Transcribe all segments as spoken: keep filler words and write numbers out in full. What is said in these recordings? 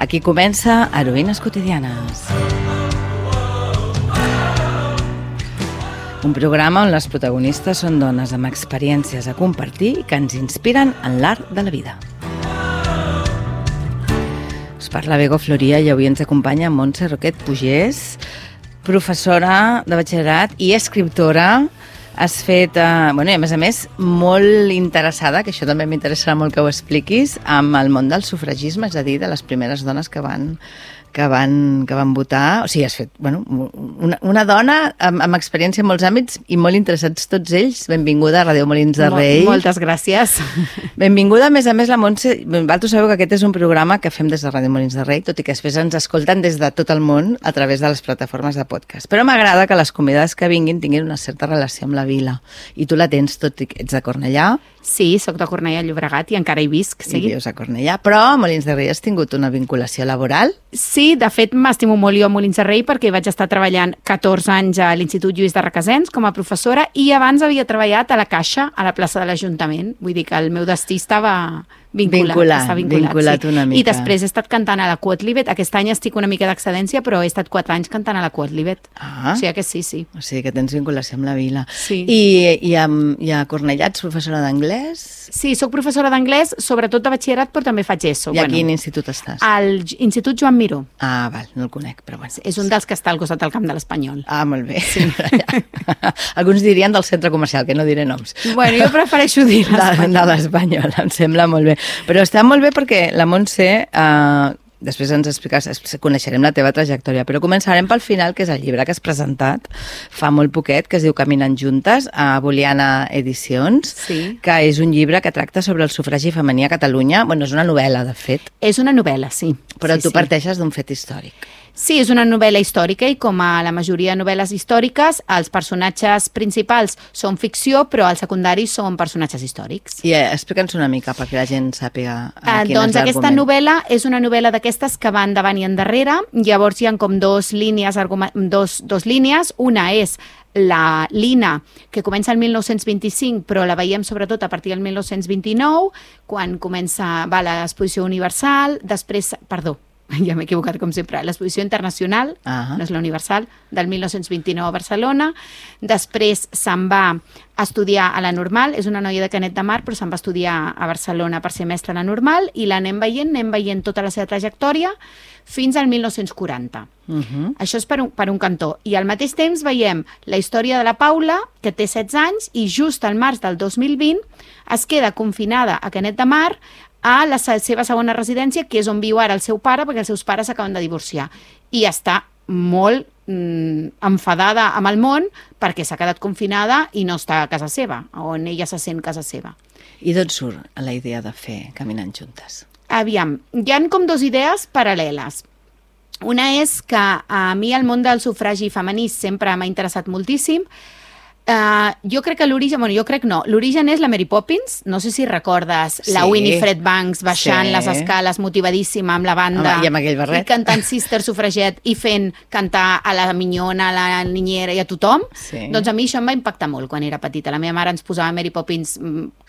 Aquí comença Heroïnes quotidianes. Un programa on les protagonistes són dones amb experiències a compartir que ens inspiren en l'art de la vida. Us parla Bego Floria i avui ens acompanya Montse Roquet Pugès, professora de batxillerat i escriptora. Has fet, eh, bueno, i a més a més, molt interessada, que això també m'interessarà molt que ho expliquis, amb el món del sufragisme, és a dir, de les primeres dones que van, que van, que van votar. O sigui, has fet, bueno, una, una dona amb, amb experiència en molts àmbits i molt interessats tots ells. Benvinguda a Ràdio Molins de Rei. Mol, moltes gràcies. Benvinguda, a més a més, la Montse. Vosaltres sabeu que aquest és un programa que fem des de Ràdio Molins de Rei, tot i que després ens escolten des de tot el món a través de les plataformes de podcast. Però m'agrada que les convidades que vinguin tinguin una certa relació amb la vila. I tu la tens, tot i que ets de Cornellà. Sí, soc de Cornellà, Llobregat, i encara hi visc. Sí. I vius a Cornellà, però a Molins de Rei has tingut una vinculació laboral? Sí, de fet m'estimo molt jo a Molins de Rei perquè vaig estar treballant catorze anys a l'Institut Lluís de Requesens com a professora i abans havia treballat a la Caixa, a la plaça de l'Ajuntament. Vull dir que el meu destí estava vinculat. Vinculat, vinculat, vinculat sí. una mica. I després he estat cantant a la Quotlibet. Aquest any estic una mica d'excedència, però he estat quatre anys cantant a la Quotlibet. Ah. O sigui que sí, sí. O sigui que tens vinculació amb la vila. Sí. I, i, a, i a Cornellà ets professora d'anglès? Sí, sóc professora d'anglès, sobretot de batxillerat, però també faig ESO. I a bueno, quin institut estàs? Al Institut Joan Miró. Ah, val, no el conec, però bueno. És un dels que està al costat del Camp de l'Espanyol. Ah, molt bé. Sí. Alguns dirien del centre comercial, que no diré noms. Bueno, jo prefereixo dir l'Espanyol. De, de l'Espanyol, em sembla molt bé. Però està molt bé perquè la Montse, eh, després ens explicaràs, coneixerem la teva trajectòria, però començarem pel final, que és el llibre que has presentat fa molt poquet, que es diu Caminant juntes, a Boliana Edicions, sí. Que és un llibre que tracta sobre el sufragi femení a Catalunya. Bueno, és una novel·la, de fet. És una novel·la, sí. Però sí, tu sí. parteixes d'un fet històric. Sí, és una novel·la històrica i com a la majoria de novel·les històriques, els personatges principals són ficció, però els secundaris són personatges històrics. I eh, explica'ns una mica perquè la gent sàpiga eh, quin doncs és l'argument. Aquesta novel·la és una novel·la d'aquestes que van davant i endarrere. Llavors hi ha com dos línies, dos, dos línies. Una és la Lina, que comença el mil nou-cents vint-i-cinc, però la veiem sobretot a partir del mil nou-cents vint-i-nou, quan comença va, l'exposició universal, després, perdó, ja m'he equivocat com sempre, l'exposició internacional, uh-huh. no és la universal, del mil nou-cents vint-i-nou a Barcelona. Després se'n va a estudiar a la Normal, és una noia de Canet de Mar, però se'n va estudiar a Barcelona per ser mestra a la Normal, i l'anem veient, anem veient tota la seva trajectòria fins al mil nou-cents quaranta. Uh-huh. Això és per un, per un cantó. I al mateix temps veiem la història de la Paula, que té setze anys, i just al març del dos mil vint es queda confinada a Canet de Mar a la seva segona residència, que és on viu ara el seu pare, perquè els seus pares s'acaben de divorciar. I està molt mm, enfadada amb el món perquè s'ha quedat confinada i no està a casa seva, on ella se sent casa seva. I d'on surt la idea de fer Caminant juntes? Aviam, hi ha com dues idees paral·leles. Una és que a mi el món del sufragi femení sempre m'ha interessat moltíssim. Uh, jo crec que l'origen, bueno, jo crec no, l'origen és la Mary Poppins, no sé si recordes sí. la Winifred Banks baixant sí. les escales motivadíssima amb la banda. Home, i amb aquell barret. I cantant Sister Suffragette i fent cantar a la minyona, a la niñera i a tothom. Sí. Doncs a mi això em va impactar molt quan era petita. La meva mare ens posava Mary Poppins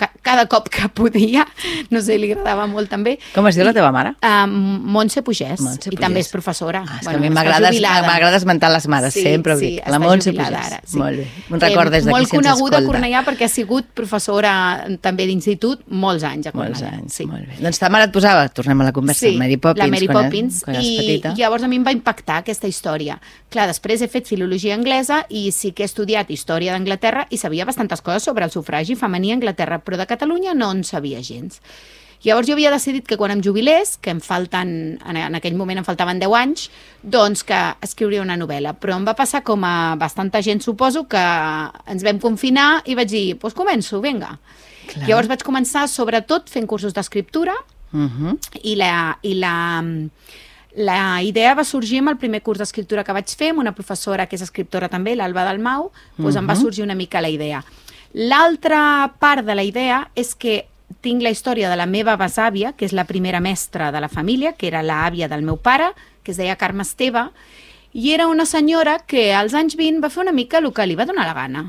ca cada cop que podia, no sé, li agradava molt també. Com es diu la teva mare? Uh, Montse Pugès, Montse i Pugès. També és professora. Ah, és bueno, que a mi m'agrada esmentar les mares, sí, sempre ho sí, dic. La Montse Pugès. Ara, sí. Molt bé. Un record des d'aquí molt si ens escolta. Molt coneguda a Cornellà perquè ha sigut professora també d'institut molts anys a Cornellà. Molts anys, sí. molt bé. Doncs ta mare et posava, tornem a la conversa, sí, Mary Poppins, la Mary quan, Poppins quan eres i petita. Llavors a mi em va impactar aquesta història. Clar, després he fet filologia anglesa i sí que he estudiat història d'Anglaterra i sabia bastantes coses sobre el sufragi femení a Anglaterra, però de Catalunya no en sabia gens. Llavors jo havia decidit que quan em jubilés, que em falten, en aquell moment em faltaven deu anys, doncs que escriuria una novel·la. Però em va passar com a bastanta gent, suposo, que ens vam confinar i vaig dir, doncs pues començo, vinga. Clar. Llavors vaig començar sobretot fent cursos d'escriptura uh-huh. i la... I la La idea va sorgir amb el primer curs d'escriptura que vaig fer, amb una professora que és escriptora també, l'Alba Dalmau, doncs uh-huh. em va sorgir una mica la idea. L'altra part de la idea és que tinc la història de la meva besàvia, que és la primera mestra de la família, que era l'àvia del meu pare, que es deia Carme Esteve, i era una senyora que als anys vint va fer una mica el que li va donar la gana.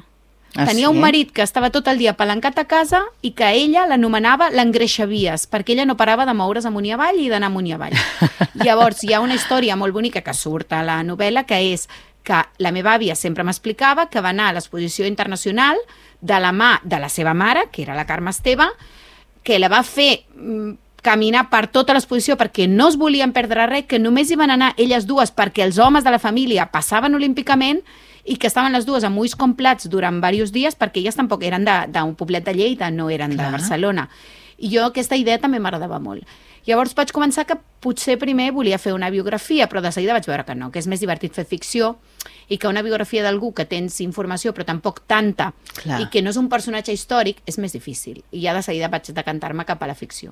Ah, Tenia sí? un marit que estava tot el dia palancat a casa i que ella l'anomenava l'engreixavies, perquè ella no parava de moure's amunt i avall i d'anar amunt i avall. Llavors, hi ha una història molt bonica que surt a la novel·la, que és que la meva àvia sempre m'explicava que va anar a l'exposició internacional de la mà de la seva mare, que era la Carme Esteve, que la va fer mm, caminar per tota l'exposició perquè no es volien perdre res, que només hi van anar elles dues perquè els homes de la família passaven olímpicament i que estaven les dues amb ulls com plats durant diversos dies perquè elles tampoc eren d'un poblet de Lleida, no eren Clar. de Barcelona. I jo aquesta idea també m'agradava molt. Llavors vaig començar que potser primer volia fer una biografia, però de seguida vaig veure que no, que és més divertit fer ficció i que una biografia d'algú que tens informació però tampoc tanta Clar. i que no és un personatge històric és més difícil. I ja de seguida vaig decantar-me cap a la ficció.